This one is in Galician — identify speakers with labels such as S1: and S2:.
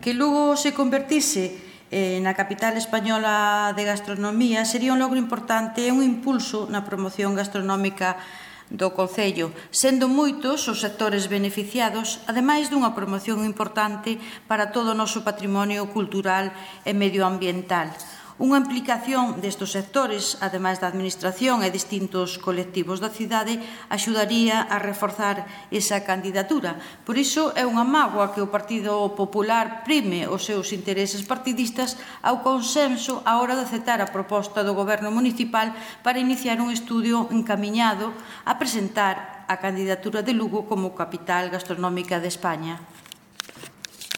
S1: Que Lugo se convertise na capital española de gastronomía sería un logro importante e un impulso na promoción gastronómica do concello, sendo moitos os sectores beneficiados, ademais dunha promoción importante para todo o noso patrimonio cultural e medioambiental. Unha implicación destes sectores, ademais da Administración e distintos colectivos da cidade, axudaría a reforzar esa candidatura. Por iso é unha mágoa que o Partido Popular prime os seus intereses partidistas ao consenso á hora de aceptar a proposta do Goberno municipal para iniciar un estudio encamiñado a presentar a candidatura de Lugo como capital gastronómica de España.